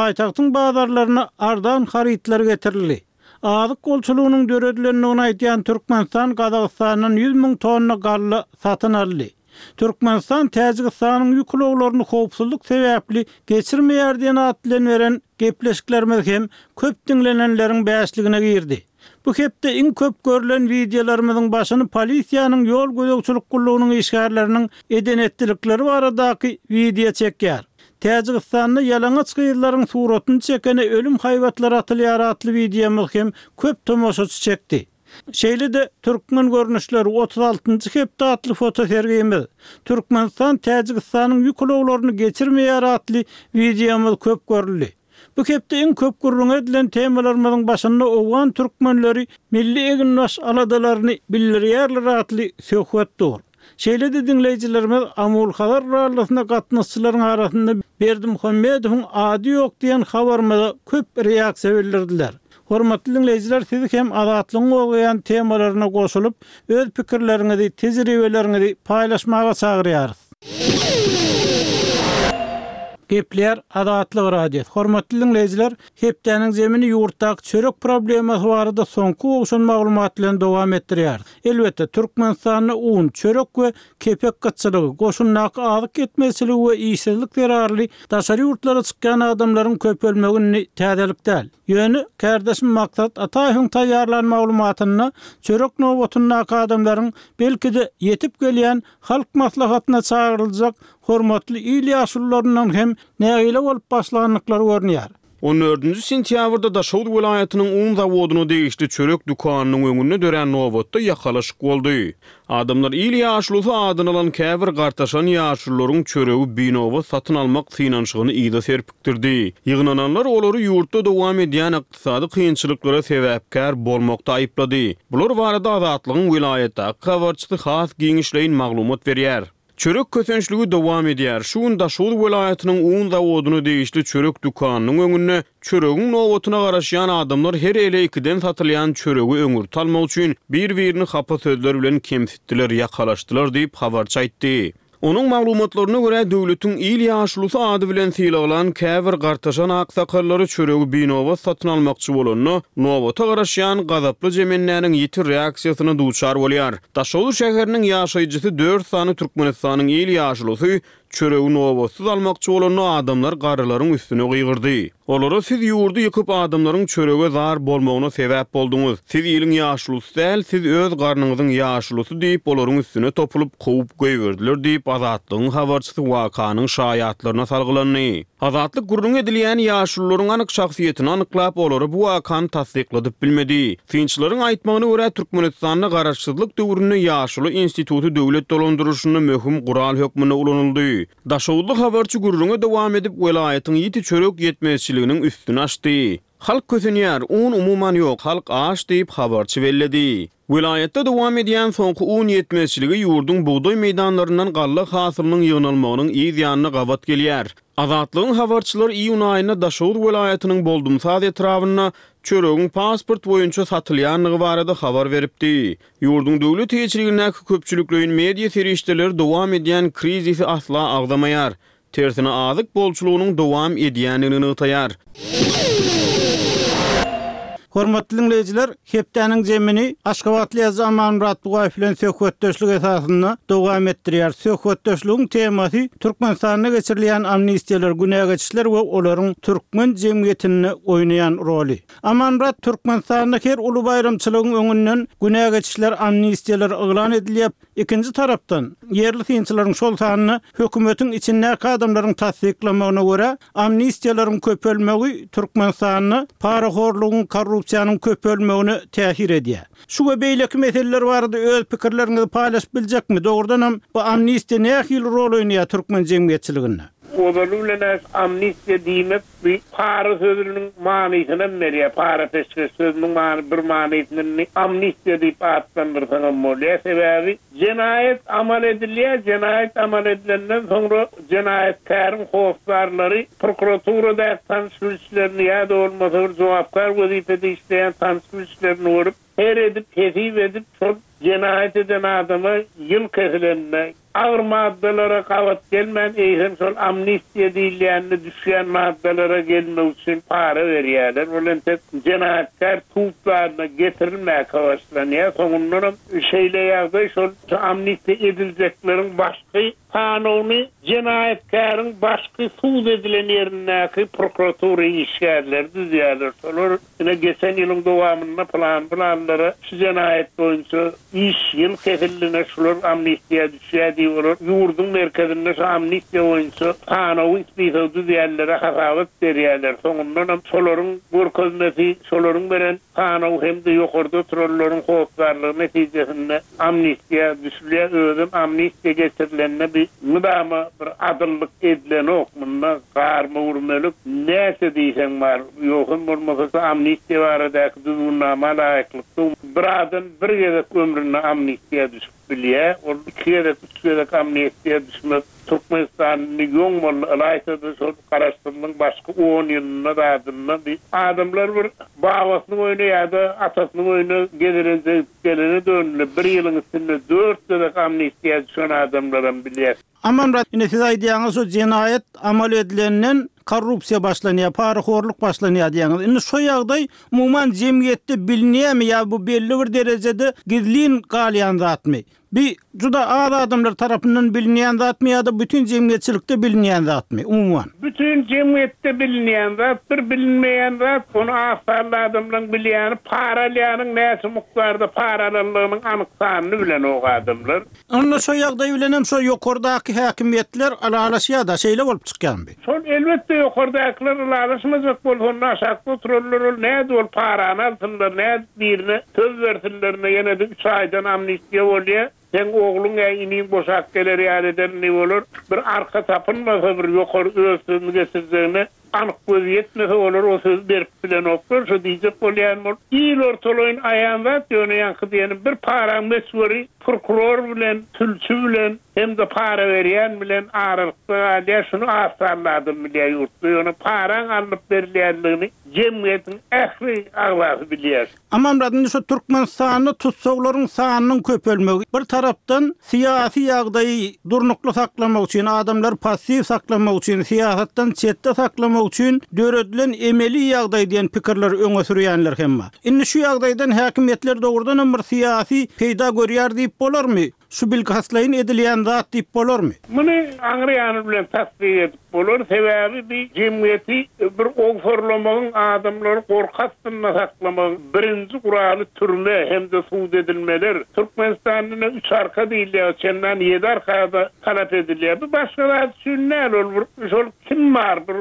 Paýtagtyň bazarlaryna arzan harytlar getirildi. Azyk bolçulygynyň döredilendigini aýdýan Türkmenistan Gazagystandan 100 000 tonna galla satyn aldy. Türkmenistan Täjigistanyň ýük ulaglaryny howpsuzlyk sebäpli geçirmeýär diýen at bilen beren gepleşiklerimiz hem köp diňlenenleriň bäşligine girdi. Bu hepde iň köp görlen wideolarymyzyň başyny polisiýanyň ýol gözegçilik gullugynyň işgärleriniň eden-etdilikleri baradaky wideo çekýär. Täjigistanda ýalaňaç gyzlaryň suratyny çekene ölüm haýbatlary atylýar atly wideomyz hem köp tomaşaçy çekdi. Şeýle-de Türkmen görnüşleri, 36-njy hepde atly fotosergimiz, Türkmenistan Täjigistanyň ýük ulaglaryny geçirmeýär atly wideomyz köp görüldi. Bu hepde iň köp gürrüňi edilen temalarymyzyň başynda owgan türkmenleri milli eginbaş aladalaryny bildirýärler atly söhbet dur. Şeýle-de diňleýjilerimiz Amul-Hazar rallysyna gatnaşyjylaryň arasynda Berdimuhamedowyň ady ýok diýen habarymyza köp reaksiýa bildirdiler. Hormatly diňleýjiler siz hem Azatlygyň gozgaýan temalaryna goşulyp, öz pikirleriňizi, tejribeleriňizi paýlaşmaga çagyrýarys. Gepleýär Azatlyk Radiosy. Hormatly diňleýjiler, hepdäniň zemini ýurtdaky çörek problemasy barada soňky gowşan maglumat bilen dowam etdirýäris. Elbetde, Türkmenistanda un, çörek we kepek gytçylygy, goşundaky azyk ýetmezçiligi we işsizlik zerarly daşary ýurtlara çykýan adamlaryň köpelmegi indi täzelik däl. Ýöne, kärdeşim Maksat Ataýewiň taýýarlan maglumatynda çörek nobatyndaky adamlaryň belki-de ýetip gelýän Halk Maslahatyna çagyryljak hormatly il ýaşulularyndan hem nägile bolup başlandyklary görünýär. On dördünji sentýabrda Daşoguz welaýatynyň un zawodyna degişli çörek dükanynyň öňünde dörän nobatda ýakalaşyk boldy. Adamlar il ýaşulusy adyny alan käbir gartaşan ýaşulularyň çöregi binobat satyn almak synanyşygyny yza serpikdirdi. Ýygnananlar olary ýurtda dowam edýän ykdysady kynçylyklara sebäpkär bolmakda aýyplady. Bular barada Azatlygyň welaýatdaky habarçysy has giňişleýin maglumat berýär. Çörek kösençligi dowam edýär. Şu gün Daşoguz welaýatynyň un zawodyna degişli çörek dükanynyň öňünde çöregiň nobatyna garaşýan adamlar her ele ikiden satylýan çöregi öňürti almak üçin bir-birini hapa sözler bilen kemsitdiler, ýakalaşdylar diýip, habarçy aýtdy. Onuň maglumatlaryna görä, döwletiň il ýaşulusy ady bilen sylaglan käbir gartaşan aksakallary çöregi binobat satyn almakçy bolanda, nobata garaşýan gazaply jemendäniň ýiti reaksiýasyna duçar bolýar. Daşoguz şäheriniň ýaşaýjysy dört sany Türkmenistanyň il ýaşulusy çöregi nobatsyz almakçy bolanda adamlar garrylaryň üstüne gygyrdy. Olara siz ýurdy ýykyp adamlaryň çörege zar bolmagyna sebäp bolduňyz. Siz iliň ýaşulusy däl, siz öz garnyňyzyň ýaşulusy diýip olaryň üstüne topulyp kowup goýberdiler diýip Azatlygyň habarçysy wakanyň şaýatlaryna salgylandy. Azatlyk gürrüňi edilýän ýaşulularyň anyk şahsyýetini anyklap, olara bu wakany tassykladyp bilmedi. Synçylaryň aýtmagyna görä, Türkmenistanda garaşsyzlyk döwründe ýaşuly instituty döwlet dolandyryşynda möhüm gural hökmünde ulanyldy. Daşoguzly habarçy gürrüňe dowam edip, welaýatyň ýiti çörek ýetmezçiliginiň üstüni açdy. Halk kösenýär, un umuman ýok, halk aç diýip, habarçy belledi. Welaýatda dowam edýän soňky un ýetmezçiligi ýurduň bugdaý meýdanlaryndan galla hasylynyň ýygnalmagynyň yz ýanyna gabat gelýär. Azatlygyň habarçylary iýun aýynda Daşoguz welaýatynyň Boldumsaz etrabynda çöregiň pasport boýunça satylýandygy barada habar beripdi. Ýurduň döwlet eýeçiligindäki köpçülikleýin media serişdeleri dowam edýän krizisi asla agzamaýar. Tersine azyk bolçulygynyň dowam edýändigini nygtaýar. Hormatly diňleýjiler, hepdäniň zemini aşgabatly ýazyjy Amanmyrat Bugaýew bilen söhbetdeşlik esasynda dowam etdirýär. Söhbetdeşligiň temasy Türkmenistanda geçirilýän amnistiýalar, günä geçişler we olaryň türkmen jemgyýetinde oýnaýan roly. Amanmyrat, Türkmenistanda her uly baýramçylygyň öňünden günä geçişler, amnistiýalar yglan edilýär. Ikinji tarapdan, ýerli synçylaryň, şol sanda hökümetiň içindäki adamlaryň tassyklamagyna görä, amnistiýalaryň köpelmegi Türkmenistanda parahorlugyň, korrupsiýanyň köpelmegine täsir edýär. Şu we beýleki meseleler barada öz pikirleriňizi paýlaşyp biljekmi? Dogrudanam, bu amnistiýa nähili rol oýnaýar türkmen jemgyýetçiliginde? Ozaly bilen-ä amnistiýa diýmek Bu para sözüniň manysynam berýär. Para-peşgeş sözüniň many bir manysyny indi amnistiýa diýip atlandyrsaňam bolýar. Sebäbi jenaýat amal edilýär, jenaýat amal edilenden soňra jenaýatkäriň hossarlary prokuraturadaky tanyş-bilişlerini ýa-da bolmasa bir jogapkär wezipede işleýän tanyş-bilişlerini görüp, her edip, hesip edip şol jenaýat eden adama ýyl kesilende. agyr maddalara gabat gelmän, eýsem şol amnistiýa diýilýänine düşýän maddalara gelmek üçin para berýärler. Ol entek jenaýatkär sud zalyna getirilmäkä başlanýar. Soňundanam şeýle ýagdaý şol amnistiýa ediljekleriň başky sanawyny jenaýatkäriň başky sud edilen ýerindäki prokuratura işgärleri düzýärler. Şolar ine geçen ýylyň dowamynda pylan-pylanlara şu jenaýat boýunça iş ýyl kesildine şular amnistiýa düşýär diýip olar ýurduň merkezinde şu amnistiýa boýunça sanawy spisogy düzýänlere hasabat berýärler. Soňundanam şolaryň görkezmesi, şolaryň beren sanawy hem-de ýokarda oturanlaryň hossarlygy netijesinde amnistiýa düşülýär. Özem amnistiýa geçirilende bi mydama bir adyllyk edilenok. Munda garma-gürmelik näçe diýseň bar. Ýogsam bolmasa şu amnistiýa baradaky düzgünnama laýyklykda bir adam bir gezek ömründe amnistiýa düşüp bilýär. Ol iki gezek, üç gezek amnistiýa düşmek Türkmenistanda ýoň boldy. Ylaýta-da şol Garaşsyzlygyň başky on ýylynda zadynda bir adamlar bir babasynyň öýüne ýa-da atasynyň öýüne gezelenje gidip gelene döndüler. Bir ýylyň içinde dört gezek amnistiýa düşen adamlaram bilýäs. Amanmyrat, ine siz aýdýaňyz şu jenaýat amal edilenden korrupsiýa başlanýar, parahorluk başlanýar diýýäňiz. Indi şo ýagdaý umuman jemgyýetde bilinýärmi ýa bu belli bir derejede gizlin galýan zatmy? Bi juda az adamlar tarapyndan bilinýän zatmy ýa-da bütin jemgyýetçilikde bilinýän zatmy umuman? Bütin jemgyýetde bilinýän zat, bir bilinmeýän zat, ony az sanly adamlaryň bilýäni, para alýanyň näçe mukdarda para alanlygynyň anyk sanyny bilenok adamlar. Onda şo ýagdaý bilenem şo ýokardaky häkimiýetler ylalaşýar-da, şeýle bolup çykýarmy? Şol elbetde ýokardakylar ylalaşmajak bolsa onda aşakda oturanlar ol nädip ol parany alsynlar, nädip birine söz bersinler ine ýene-de üç aýdan amnistiýa bolýar, seň ogluň ýa iniň boşap geler ýaly ederin diýip olar bir arka tapynmasa bir ýokary öz sözüni geçirjegine Anyk gözi ýetmese olar o sözi berip bilenoklar, şo diýjek bolýanym ol il ortalaýyn aýan zat, ýöne ýaňky diýenim bir paraň möçberi prokuror bilen, sülçi bilen hem-de para berýän bilen aralykda galýar, şuny az sanly adam bilýär ýurtda, ýöne paraň alnyp berilýänligini jemgyýetiň ähli agzasy bilýär. Amanmyrat, indi şu Türkmenistanda tussaglaryň sanynyň köpelmegi, bir tarapdan, syýasy ýagdaýy durnukly saklamak üçin, adamlary passiw saklamak üçin, syýasatdan çetde saklamak üçin döredilen emeli ýagdaý diýen pikirleri öňe sürýänler hem bar. Indi şu ýagdaýdan häkimiýetler dogrudanam bir syýasy peýda görýär diýip bolarmy? Şu bilkastlaýyn edilýän zat diýip bolarmy? Muny aňry ýany bilen tassyk edip bolar, sebäbi bi jemgyýeti bir owsarlamagyň, adamlary gorky astynda saklamagyň birinji guraly türme hem-de sud edilmeler. Türkmenistanda ine üç arka diýilýär, çendan ýedi arka-da talap edilýär. Bu başga zat üçin däl, ol bir şol kim bar, bir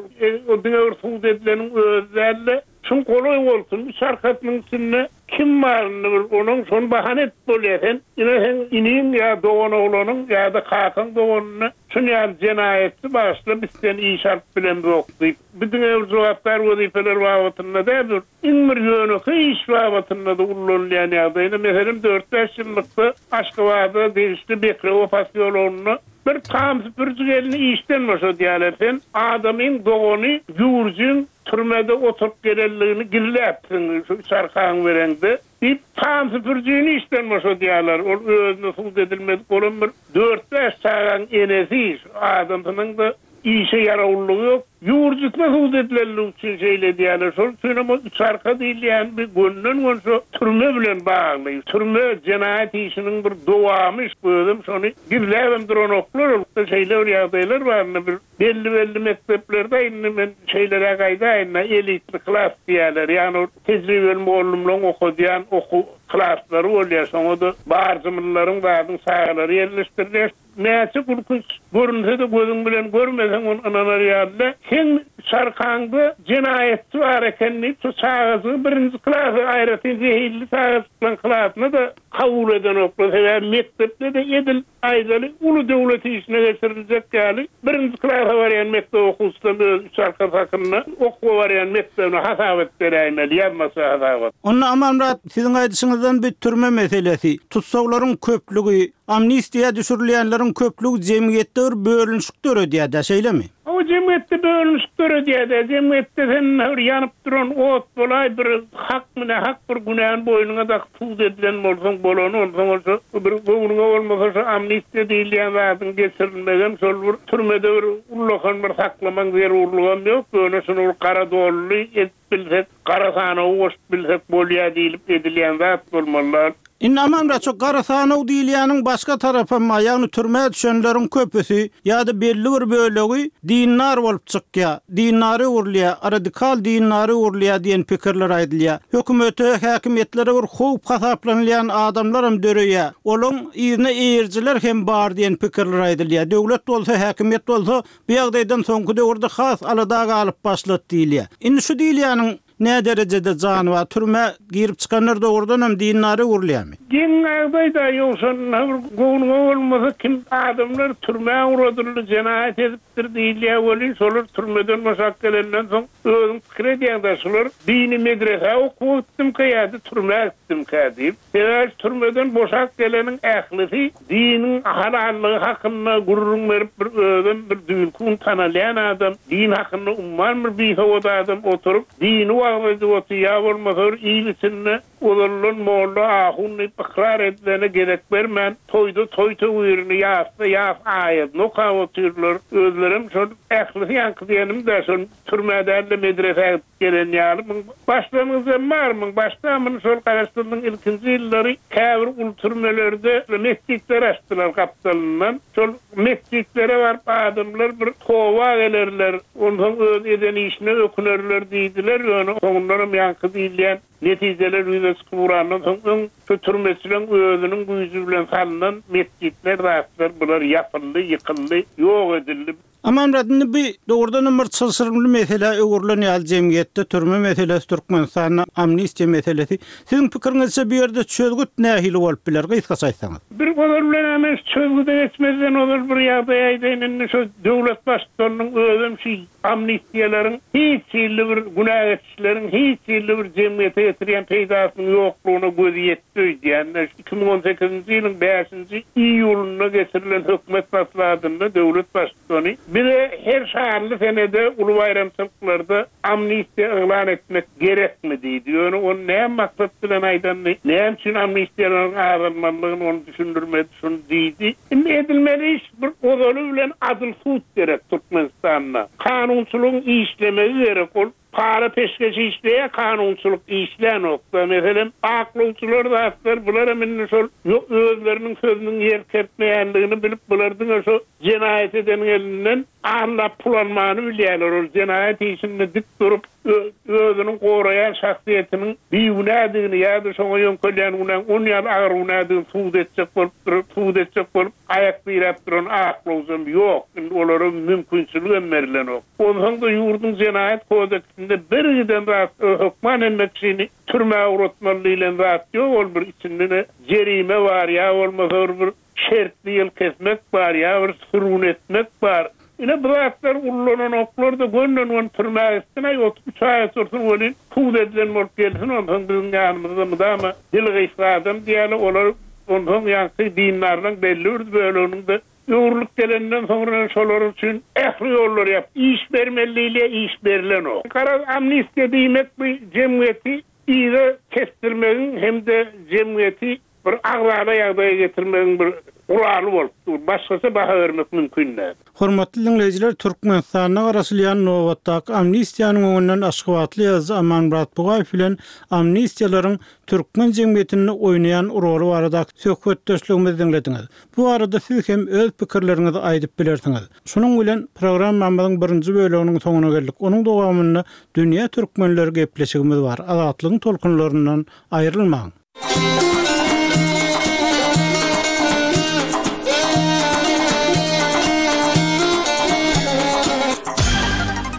o diňe bir sud edileniň özi däl-de, Şuň golaý bolsun, üç arkasynyň içinde kim baryny bir onuň şony bahana edip bolýar. Sen ine seň iniň ýa doganoglanyň ýa-da kakaň doganyny şun ýaly jenaýatçy bagyşla biz seni işe alyp bilemzok diýip. Bu diňe bir jogapkär wezipeler babatynda däl, bu iň bir ýönekeý iş babatynda-da ullanylýan ýagdaý. Ine meselem dört-bäş ýyllykda Aşgabada degişli Bekrewe posýologynda bir tam süpüriji gelni işden boşadýarlar. Sen adamyň dogany ýüwürjiň Türmede oturyp gelenligini gizläpsiň, şu üç arkaňy bereňde, diýip, tam süpürijini işden boşadýarlar. Ol özüne sud edilmedik bolan bir dört-bäş çagaň enesi, şu adamsynyň-da işe ýarawlylygy ýok. Ýüwürjisine sud edilenligi üçin şeýle edýärler. Şol üçinem ol üç arka diýilýän bir gönden-gön şu türme bilen bagly. Türme jenaýat işiniň bir dowamy, özem şony gizläbem duranoklar. Ol şeýle bir ýagdaýlar bar indi bir Belli-belli mekdeplerde indi men şeýleräk aýdaýyn-da, elitli klas diýýärler. Ýagny ol tejribeli mugallymlaryň okadýan okuw klaslary bolýar. Şoňa-da barjymlylaryň zadyň çagalary ýerleşdirilýär. Näçe gülkünç görünse-de gözüň bilen görmeseň ony ynanar ýaly däl. Seň çarkaňda jenaýatçy bar eken diýip, şo çagajygy birinji klasa, aýratyn zehinli çagajyklaryň klasyna-da kabul edenoklar. Sebäbi mekdepde-de edil Aýdaly, uly döwlet işine geçiriljek ýaly, birinji klasa barýan mekdep okuwçysam öz üç arkasy hakynda okuwa barýan mekdebine hasabat beräýmeli, ýazmaça hasabat. Onda Amanmyrat, siziň aýdyşyňyzdan bu türme meselesi, tussaglaryň köplügi, amnistiýa düşürilýänleriň köplügi jemgyýetde bir bölünişik döredýär-dä, şeýlemi? Hawa, jemgyýetde bölünişik döredýär-dä. Jemgyýetde sen bir ýanyp duran ot bolaý, bir hakmy, nähak bir günäni boýnuňa dakyp sud edilen bolsaň bolany, onsoň ol şo bir göwnüňe bolmasa şo amnistiýa diýilýän zadyň geçirilmegem şol bir türmede bir ullakan bir saklamaň zerurlygam ýok, ýöne şuny bir gara dolly edip bilsek, gara sanawa goşup bilsek bolýar diýlip edilýän zat bolmaly. Indi Amanmyrat şo gara sanaw diýilýäniň başga tarapam bar, ýagny türmä düşenleriň köpüsi ýa-da belli bir bölegi dindar bolup çykýar, dindara öwrülýär, radikal dindara öwrülýär diýen pikirler aýdylýar. Hökümete, häkimiýetlere bir howp hasaplanylýan adamlaram döreýär. Olaň yzyna eýerijiler hem bar diýen pikirler aýdylýar. Döwlet bolsa, häkimiýet bolsa bu ýagdaýdan soňky döwürde has alada galyp başlady diýilýär. Indi şu diýilýäniň Näderejede jany bar? Türmä girip çykanlar dogrudanam dindara öwrülýärmi? Geň ýagdaý-da, ýogsa bir göwnüňe bolmasa kim adamlar türmä ugradyldy, jenaýat edipdir diýilýär welin, şolar türmeden boşap gelenden soň özüň pikir edýäň-dä, şular dini medresä okuwa gitdimkä ýa-da türmä gitdimkä diýip. Sebäbi türmeden boşap geleniň ählisi diniň halallygy hakynda gürrüň berip bir özem bir düýnki gün tanalýan adam, din hakynda umman bir bisowat adam oturyp dini wagyz edip otyr ýa bolmasa bir il içinde ozaldan molla ahun diýip ykrar edilene gezek bermän toýda toý töwirini ýasda ýas aýadyny okap otyrlar. Özlerem şol ählisi ýaňky diýenim-dä şol türmä däl-de medresä gidip Gelen ýaly muň başlangyjam bar muň başda muny şol garaşsyzlygyň ilkinji ýyllary käbir uly türmelerde metjitler açdylar gapdalyndan şol metjitlere baryp adamlar bir toba gelerler onsoň öz eden işine ökünerler diýdiler ýöne soňundanam ýaňky diýilýän netijeler ýüze çykyp ugrandan soň öň şu türmeçileň özüniň güýji bilen salnan metjitler zatlar bular ýapyldy ýykyldy ýok edildi. Amanmyrat, indi bu dogrudanam bir çylşyrymly meselä öwrülen ýaly jemgyýetde türme meselesi, Türkmenistanda amnistiýa meselesi. Siziň pikiriňizçe bu ýerde çözgüt nähili bolup biler, gysgaça aýtsaňyz? Bir ozal bilen-ä men şu çözgüde geçmezden ozal bir ýagdaý aýdaýyn, indi şu döwlet baştutanynyň özem şu amnistiýalaryň hiç hili bir günä geçişleriň hiç hili bir jemgyýete getirýän peýdasynyň ýoklugyna gözi ýetdi öýdýän. 2018-nji ýylyň bäşinji iýulynda geçirilen hökümet maslahatynda döwlet Baştutany bize her şanly senede, uly baýramçylyklarda amnistiýa yglan etmek gerekmi diýdi. Ýöne ony näme maksat bilen aýdanyny, näme üçin amnistiýalaryň azalmalydygyny ony düşündirmedi, şuny diýdi. Indi edilmeli iş bir ozaly bilen adyl sud gerek Türkmenistanda. Kanunçylygyň işlemegi gerek. Ol Para-peşgeş işleýär, kanunçylyk işlänok-da. Meselem, aklawçylar zatlar, bularam indi şol özleriniň sözüniň ýer kertmeýändigini bilip, bular diňe şo jenaýat edeniň elinden allap pul almany bilýärler. Ol jenaýat işinde dik durup, özüniň goraýan şahsyýetiniň bigünädigini ýa-da şoňa ýöňkelýän günäň on ýaly agyr günädigini subut etjek bolup durup, subut etjek bolup aýak diräp duran aklawjam ýok. Indi olara mümkinçiligem berlenok. Onsoň-da ýurduň jenaýat kodeksinde bir giden zat hökman hemme kişini türmä ugratmaly diýlen zat ýok, ol bir içinde ne jerime bar ýa bolmasa bir bir şertli ýyl kesmek bar ýa bir sürgün etmek bar. Ine bu zatlar ullananoklar-da gönden-göni türmä gitsin-aý 33 aý otursyn welin sud edilen bolup gelsin onsoň biziň ýanymyzda mydama dili gysga adam diýýärler olar onsoň ýaňky dindarlaň belli bir böleginiň-de Öwrülip gelenden soňra şolar üçin ähli ýollary ýap. Iş bermeli diýilýär, iş berlenok. Garaz, amnistiýa diýmek bu jemgyýeti yza tesdirmegiň hem-de jemgyýeti bir agzala ýagdaýa getirmegiň bir guraly bolup dur. Başgaça baha bermek mümkin däl. Hormatly diňleýjiler, Türkmenistanda garaşylýan nobatdaky amnistiýanyň öňünden aşgabatly ýazyjy Amanmyrat Bugaýew bilen amnistiýalaryň türkmen jemgyýetinde oýnaýan roly baradaky söhbetdeşligimizi diňlediňiz. Bu barada siz hem öz pikirleriňizi aýdyp bilersiňiz. Şunuň bilen programmamyzyň birinji böleginiň soňuna geldik. Onuň dowamynda Dünýä türkmenleri gepleşigimiz bar. Azatlygyň tolkunlaryndan aýrylmaň!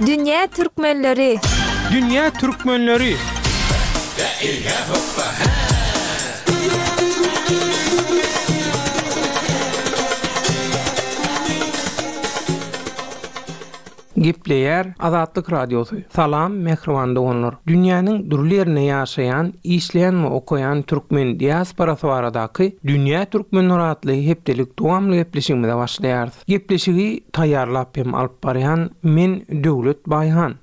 Dünýä türkmenleri! Dünýä türkmenleri! Gepleýär Azatlyk Radiosy. Salam mähriban doganlar! Dünýäniň dürli ýerinde ýaşaýan, işleýän we okaýan türkmen diasporasy baradaky Dünýä Türkmenleri atly hepdelik dowamly gepleşigimize başlaýarys. Gepleşigi taýýarlap hem alyp barýan men Döwlet Baýhan.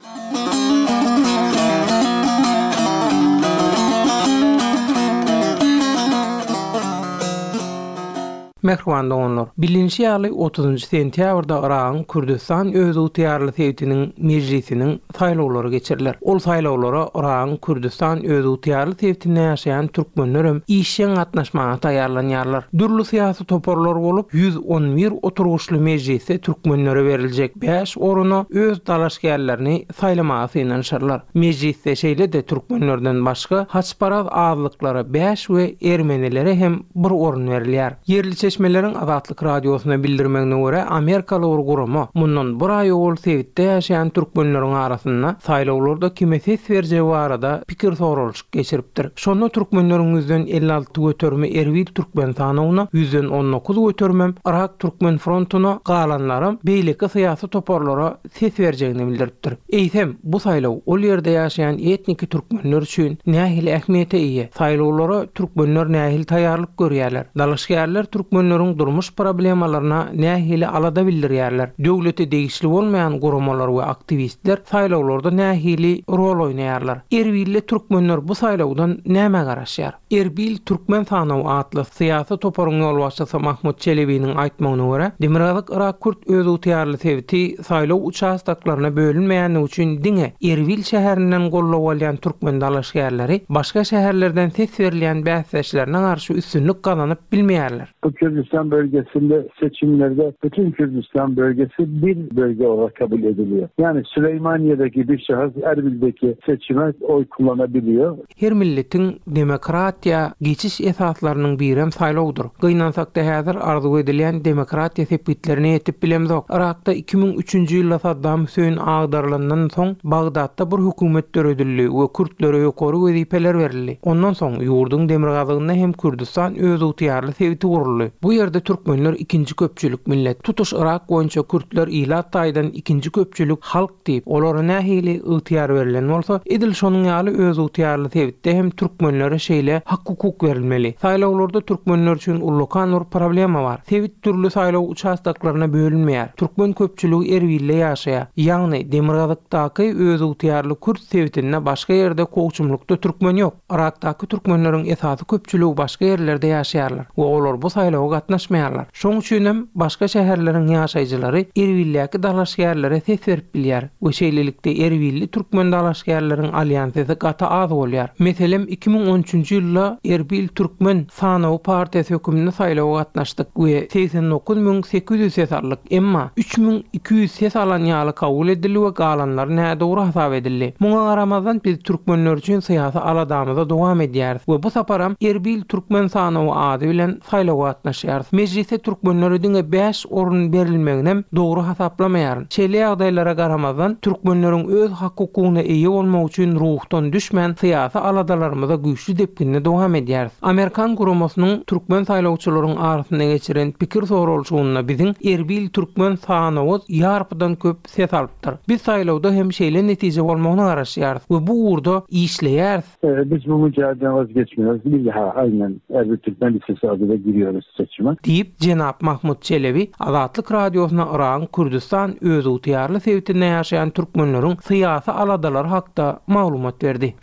Mähriban doganlar! Bilinişi ýaly, otuzynjy sentýabrda Yragyň Kürdüstan özygtyýarly sebitiniň Mejlisiniň saýlawlary geçiriler. Ol saýlawlara Yragyň Kürdüstan özygtyýarly sebitinde ýaşaýan türkmenlerem işjeň gatnaşmaga taýýarlanýarlar. Dürli syýasy toparlar bolup, 111 oturgyçly Mejlisde türkmenlere beriljek bäş oruna öz dalaşgärlerini saýlamaga synanyşarlar. Mejlisde şeýle-de türkmenlerden başga haçparaz azlyklara bäş we ermenilere hem bir orun berilýär. Ýerli çeşmeleriň Azatlyk Radiosyna bildirmegine görä, amerikaly bir gurama mundan bir aý owal sebitde ýaşaýan türkmenleriň arasynda saýlawlarda kime ses berjegi barada pikir soralyşyk geçiripdir. Şonda türkmenleriň ýüzden 56 göterimi Erbil türkmen sanawyna, ýüzden 19 göterimem Yrak türkmen frontuna, galanlaram beýleki syýasy toparlara ses berjegini bildiripdir. Eýsem, bu saýlaw ol ýerde ýaşaýan etniki türkmenler üçin nähili ähmiýete eýe? Saýlawlara türkmenler nähili taýýarlyk görýärler? Dalaşgärler türkmenleriň durmuş problemalaryna nähili alada bildirýärler? Döwlete degişli bolmaýan guramalar we aktiwistler saýlawlarda nähili rol oýnaýarlar? Erbilli türkmenler bu saýlawdan nämä garaşýar? Erbil Türkmen sanawy atly syýasy toparyň ýolbaşçysy Mahmut Çelebiniň aýtmagyna görä, Demirgazyk Yrak kürt özygtyýarly sebiti saýlaw uçastoklaryna bölünmeýändigi üçin diňe Erbil şäherinden goldaw alýan türkmen dalaşgärleri başga şäherlerden ses berilýän bäsdeşlerine garşy üstünlik gazanyp bilmeýärler. Bu Kürdistan bölgesinde seçimlerde bütün Kürdistan bölgesi bir bölge olarak kabul ediliyor. Yani Süleymaniye'deki bir şahıs Erbil'deki seçime oy kullanabiliyor. Her milletiň demokratiýa geçiş esaslarynyň birem saýlawdyr. Gynansakda häzir arzuw edilýän demokratiýa sepgitlerine ýetip bilemzok. Yrakda 2003-nji ýylda Saddam Hüseýin agdarylandan soň Bagdatda bir hökümet döredildi we kürtlere ýokary wezipeler berildi. Ondan soň ýurduň demirgazygynda hem Kürdüstan özygtyýarly sebiti guruldy. Bu ýerde türkmenler ikinji köpçülik millet. Tutuş Yrak boýunça kürtler ilat taýdan ikinji köpçülik halk diýip, olara nähili ygtyýar berlen bolsa, edil şonuň ýaly özygtyýarly sebitde hem türkmenlere şeýle hak-hukuk berilmeli. Saýlawlarda türkmenler üçin ullakan bir problema bar. Sebit dürli saýlaw uçastoklaryna bölünmeýär. Türkmen köpçüligi Erbilde ýaşaýar. Ýagny, demirgazykdaky özygtyýarly kürt sebitinde başga ýerde kowçumlykda türkmen ýok. Yrakdaky türkmenleriň esasy köpçüligi başga ýerlerde ýaşaýarlar we olar bu saýlawa gatnaşmaýarlar. Şoň üçinem başga şäherleriň ýaşaýjylary Erbildäki dalaşgärlere ses berip bilýär we şeýlelikde erbilli türkmen dalaşgärleriň alýan sesi gaty az bolýar. Meselem, 2013-nji ýylda Erbil türkmen sanawy partiýasy höküminde saýlawa gatnaşdyk we 89 800 ses aldyk, emma 3200 ses alan ýaly kabul edildi we galanlary nädogry hasap edildi. Muňa garamazdan biz türkmenler üçin syýasy aladamyza dowam edýäris we bu saparam Erbil türkmen sanawy ady bilen saýlawa gatnaşýarys. Mejlisde türkmenlere diňe bäş orun berilmeginem dogry hasaplamaýaryn. Şeýle ýagdaýlara garamazdan, türkmenleriň öz hak-hukugyna eýe bolmagy üçin ruhdan düşmän syýasy aladalarymyza güýçli depginde dowam edýäris. Amerikan guramasynyň türkmen saýlawçylaryň arasynda geçiren pikir soralyşygynda biziň Erbil türkmen sanawy ýarpydan köp ses alypdyr. Biz saýlawda hem şeýle netije bolmagyna garaşýarys we bu ugurda işleýäris. Biz bu mücadeleden vazgeçmiyoruz. Bir daha aynen Erbil Türkmen Listesi adıyla giriyoruz seçime. Diýip, jenap Mahmut Çelebi Azatlyk Radiosyna Yragyň Kürdüstan özygtyýarly sebitinde ýaşaýan türkmenleriň syýasy aladalary hakda maglumat berdi.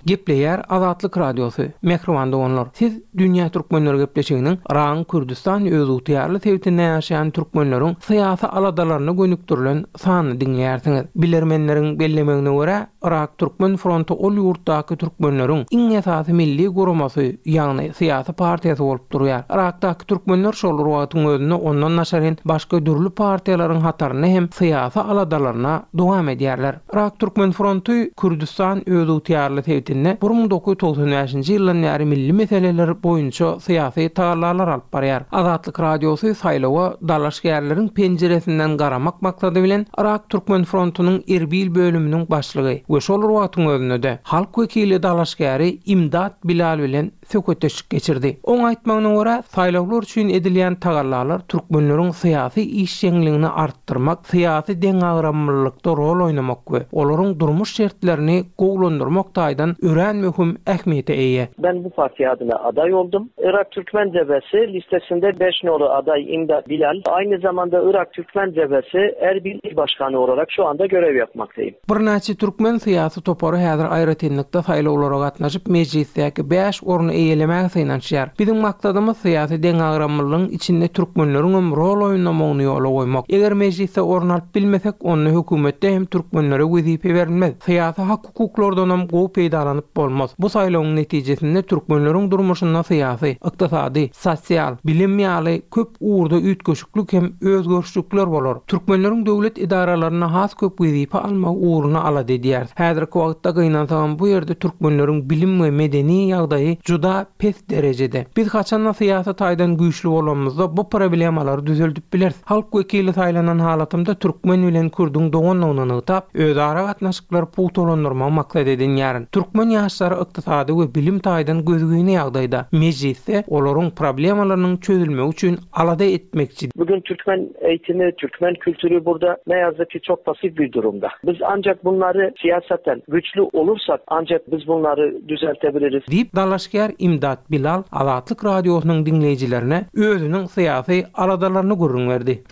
Gepleýär Azatlyk Radiosy, Mähriban doganlar, siz Dünýä Türkmenleri gepleşiginiň Yragyň Kürdüstan özygtyýarly sebitinde ýaşaýan türkmenleriň syýasy aladalaryna gönükdirilen sanyny diňleýärsiňiz. Bilermenleriň bellemegine görä, Yrak Türkmen fronty ol ýurtdaky türkmenleriň iň esasy milli guramasy, ýagny syýasy partiýasy bolup durýar. Yrakdaky türkmenler şol bir wagtyň özünde ondan daşaryn başga dürli partiýalaryň hatarynda hem syýasy aladalaryna dowam edýärler. Yrak Türkmen fronty Kürdüstan özygtyýarly sebitinde 1995-nji ýyldan bäri milli meseleler boýunça syýasy tagallalar alyp barýar. Azatlyk Radiosy saýlawa dalaşgärleriň penjiresinden garamak maksady bilen Yrak Türkmen frontunyň Erbil bölüminiň başlygy. we şol bir wagtyň özünde-de halk wekili dalaşgäri Imdat Bilal bilen söhbetdeşlik geçirdi. Oň aýtmagyna görä, saýlawlar üçin edilýän tagallalar türkmenleriň syýasy işjeňligini artdyrmak, syýasy deňagramlylykda rol oýnamak we olaryň durmuş şertlerini gowulandyrmak taýdan örän möhüm ähmiýete eýe. Ben bu parti adına aday oldum. Irak Türkmen Cebhesi listesinde 5 nolu aday İmdat Bilal. Aynı zamanda Irak Türkmen Cebhesi Erbil İl Başkanı olarak şu anda görev yapmaktayım. Birnäçe türkmen syýasy topary häzir aýratynlykda saýlawlara gatnaşyp, mejlisdäki bäş orny eýelemäge synanyşýar. Biziň maksadymyz syýasy deňagramlylygyň içinde türkmenleriňem rol oýnamagyny ýola goýmak. Eger mejlisde orun alyp bilmesek, onda hökümetde hem türkmenlere wezipe berilmez. Syýasy hak-hukuklardanam gowy peýdalanyp bolmaz. Bu saýlawyň netijesinde türkmenleriň durmuşynda syýasy, ykdysady, sosial, bilim ýaly köp ugurda üýtgeşiklik hem özgerişlikler bolar. Türkmenleriň döwlet edaralarynda has köp wezipe almagy ugrunda alada edýäris. Häzirki wagtda gynansagam bu ýerde türkmenleriň bilim we medeni ýagdaýy juda pes derejede. Biz haçanda syýasy taýdan güýçli bolanymyzda bu problemalary düzeldip bileris. Halk wekili saýlanan halatymda türkmen bilen kürdüň doganlygyny nygtap, özara gatnaşyklary pugtalandyrmagy maksat edinýärin. Türkmen ýaşlary ykdysady we bilim taýdan gözgyny ýagdaýda. Mejlisde olaryň problemalarynyň çözülmegi üçin alada etmekçi. Bugün türkmen eğitimi, türkmen kültürü burada ne yazık ki çok pasif bir durumda. Biz ancak bunları siyasaten güçlü olursak ancak biz bunları düzeltebiliriz. Diýip, dalaşgär Imdat Bilal Azatlyk Radiosynyň diňleýjilerine özüniň syýasy aladalaryny gürrüň berdi.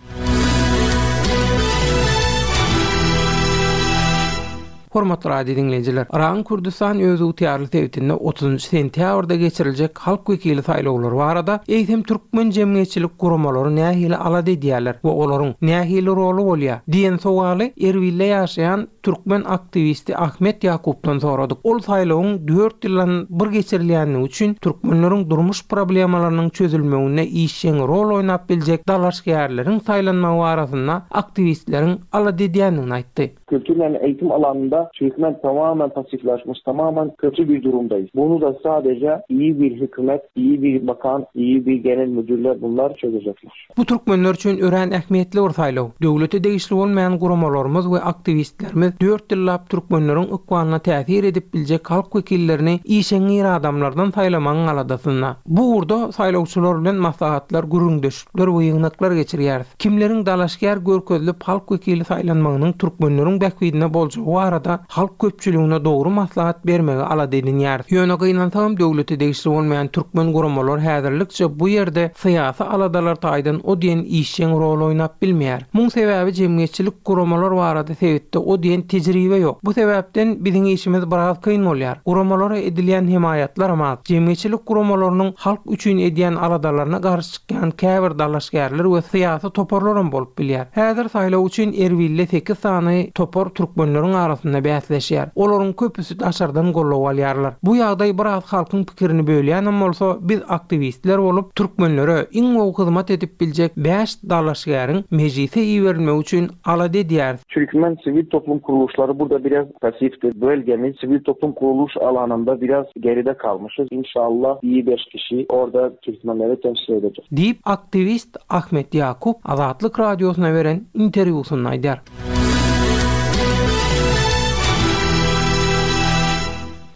Hormatly radio diňleýjiler, Yragyň Kürdüstan özygtyýarly sebitinde otuzynjy sentýabrda geçiriljek halk wekili saýlawlary barada eýsem türkmen jemgyýetçilik guramalary nähili alada edýärler we olaryň nähili roly bolýar diýen sowaly Erbilde ýaşaýan türkmen aktiwisti Ahmet Ýakupdan soradyk. Ol saýlawyň dört ýyldan bir geçirilýändigi üçin türkmenleriň durmuş problemalarynyň çözülmeginde işjeň rol oýnap biljek dalaşgärleriň saýlanmagy barasynda aktiwistleriň alada edýändigini aýtdy. Kültür yani eğitim alanında Türkmen tamamen pasiflaşmış, tamamen kötü bir durumdayız. Bunu da sadece iyi bir hükümet, iyi bir bakan, iyi bir genel müdürler bunlar çözecekler. Bu türkmenler üçin örän ähmiýetli bir saýlaw. Döwlete degişli bolmaýan guramalarymyz we aktiwistlerimiz dört ýyllap türkmenleriň ykbalyna täsir edip biljek halk wekillerini işeňňir adamlardan saýlamagyň aladasynda. Bu ugurda saýlawçylar bilen maslahatlar, gürrüňdeşlikler we ýygnaklar geçirýäris. Kimleriň dalaşgär görkezilip halk wekili saýlanmagynyň türkmenleriň bähbidine boljagy barada halk köpçüligine dogry maslahat bermegi alada edinýäris. Ýöne gynansagam döwlete degişli bolmaýan türkmen guramalar häzirlikçe bu ýerde syýasy aladalar taýdan o diýen işjeň rol oýnap bilmeýär. Muň sebäbi jemgyýetçilik guramalar barada sebitde o diýen tejribe ýok. Bu sebäpden biziň işimiz biraz kyn bolýar. Guramalara edilýän hemaýatlaram az. Jemgyýetçilik guramalarynyň halk üçin edýän aladalaryna garşy çykýan käbir dalaşgärler we syýasy toparlaram bolup bilýär. Häzir saýlaw üçin Erbilde sekiz sany topar türkmenleriň arasynda bäsleşýär. Olaryň köpüsi daşardan goldaw alýarlar. Bu ýagdaý biraz halkyň pikirini bölýänem bolsa, biz aktiwistler bolup, türkmenlere iň gowy hyzmat edip biljek bäş dalaşgäriň mejlise iberilmegi üçin alada edýäris. Türkmen sivil toplum kuruluşları burada biraz pasiftir. Bölgemiz sivil toplum kuruluş alanında biraz geride kalmışız. İnşallah iyi beş kişi orada Türkmenleri temsil edecek. Diýip, aktiwist Ahmet Ýakup Azatlyk Radiosyna beren interwýusynda aýdýar.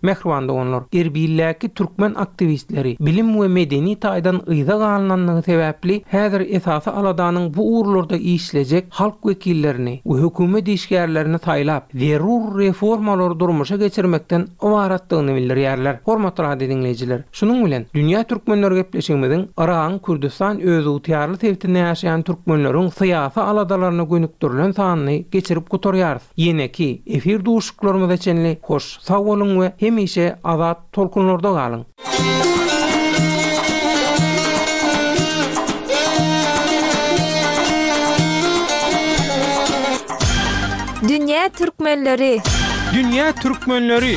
Mähriban doganlar, Erbildäki türkmen aktiwistleri bilim we medeni taýdan yza galynanlygy sebäpli häzir esasy aladanyň bu ugurlarda işlejek halk wekillerini we hökümet işgärlerini saýlap, zerur reformalary durmuşa geçirmekden ybaratdygyny bildirýärler. Hormatly radio diňleýjiler, şunuň bilen, Dünýä türkmenleri gepleşigimiziň Yragyň Kürdüstan özygtyýarly sebitinde ýaşaýan türkmenleriň syýasy aladalaryna gönükdirilen sanyny geçirip gutarýarys. Ýeneki efir duşuşyklarymyza çenli hoş sag boluň we hemişe azat tolkunlarda galyň! Dünýä türkmenleri! Dünýä türkmenleri!